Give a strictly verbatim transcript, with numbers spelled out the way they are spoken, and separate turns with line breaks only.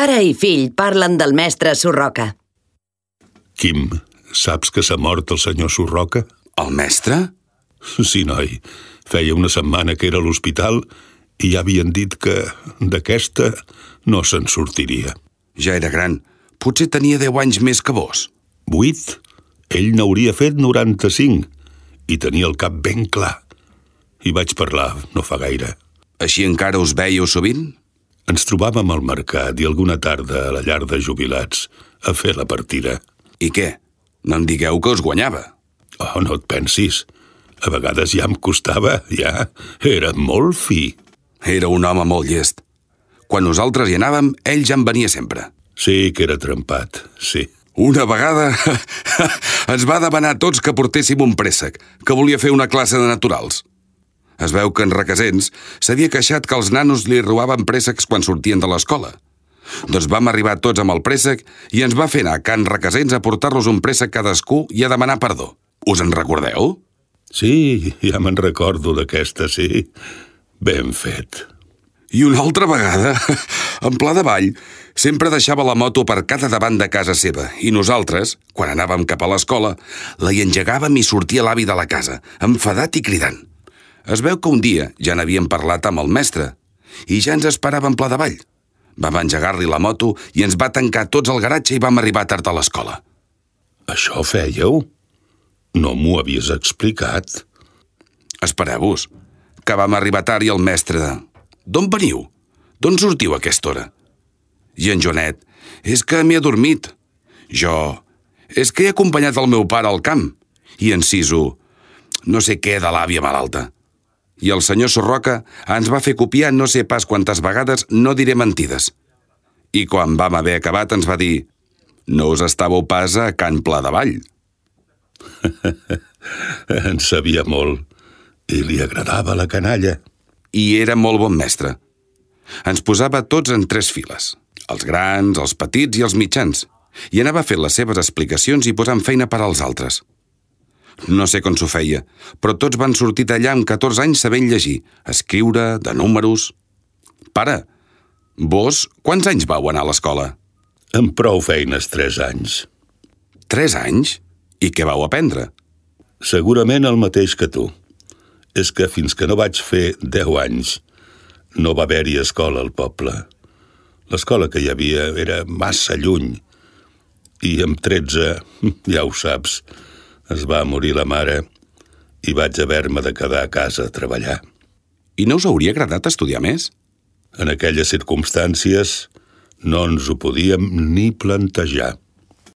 Pare i fill parlen del mestre Surroca.
Quim, saps que s'ha mort el senyor Surroca?
El mestre?
Sí, noi. Feia una setmana que era a l'hospital i ja havien dit que d'aquesta no se'n sortiria.
Ja era gran. Potser tenia deu anys més que vos.
Vuit? Ell n'hauria fet noranta-cinc i tenia el cap ben clar. Hi vaig parlar no fa gaire.
Així encara us veieu sovint?
Ens trobàvem al mercat i alguna tarda a la llar de jubilats a fer la partida.
I què? No em digueu que us guanyava.
Oh, no et pensis. A vegades ja em costava, ja. Era molt fi.
Era un home molt llest. Quan nosaltres hi anàvem, ell ja en venia sempre.
Sí que era trempat, sí.
Una vegada ens va demanar a tots que portéssim un préssec, que volia fer una classe de naturals. Es veu que en Requesens s'havia queixat que els nanos li robaven préssecs quan sortien de l'escola. Doncs vam arribar tots amb el préssec i ens va fer anar a Can Requesens a portar-los un préssec cadascú i a demanar perdó. Us en recordeu?
Sí, ja me'n recordo d'aquesta, sí. Ben fet.
I una altra vegada, en Pla de Vall, sempre deixava la moto aparcada davant de casa seva i nosaltres, quan anàvem cap a l'escola, la hi engegàvem i sortia l'avi de la casa, enfadat i cridant. Es veu que un dia ja n'havíem parlat amb el mestre i ja ens esperava en Pla de Vall. Vam engegar-li la moto i ens va tancar tots al garatge i vam arribar tard a l'escola.
Això fèieu? No m'ho havies explicat.
Espereu-vos, que vam arribar tard i el mestre... D'on veniu? D'on sortiu a aquesta hora? I en Joanet, és que m'he adormit. Jo, és que he acompanyat el meu pare al camp. I en Sisu, no sé què de l'àvia malalta. I el senyor Surroca ens va fer copiar no sé pas quantes vegades, no diré mentides. I quan vam haver acabat ens va dir: no us estàveu pas a Can Pla de Vall.
En sabia molt i li agradava la canalla.
I era molt bon mestre. Ens posava tots en tres files, els grans, els petits i els mitjans, i anava fent les seves explicacions i posant feina per als altres. No sé com s'ho feia, però tots van sortir d'allà amb catorze anys sabent llegir, escriure, de números... Pare, vos quants anys vau anar a l'escola?
Amb prou feines, tres anys.
Tres anys? I què vau aprendre?
Segurament el mateix que tu. És que fins que no vaig fer deu anys no va haver-hi escola al poble. L'escola que hi havia era massa lluny i amb tretze, ja ho saps, es va morir la mare i vaig haver-me de quedar a casa a treballar.
I no us hauria agradat estudiar més?
En aquelles circumstàncies no ens ho podíem ni plantejar.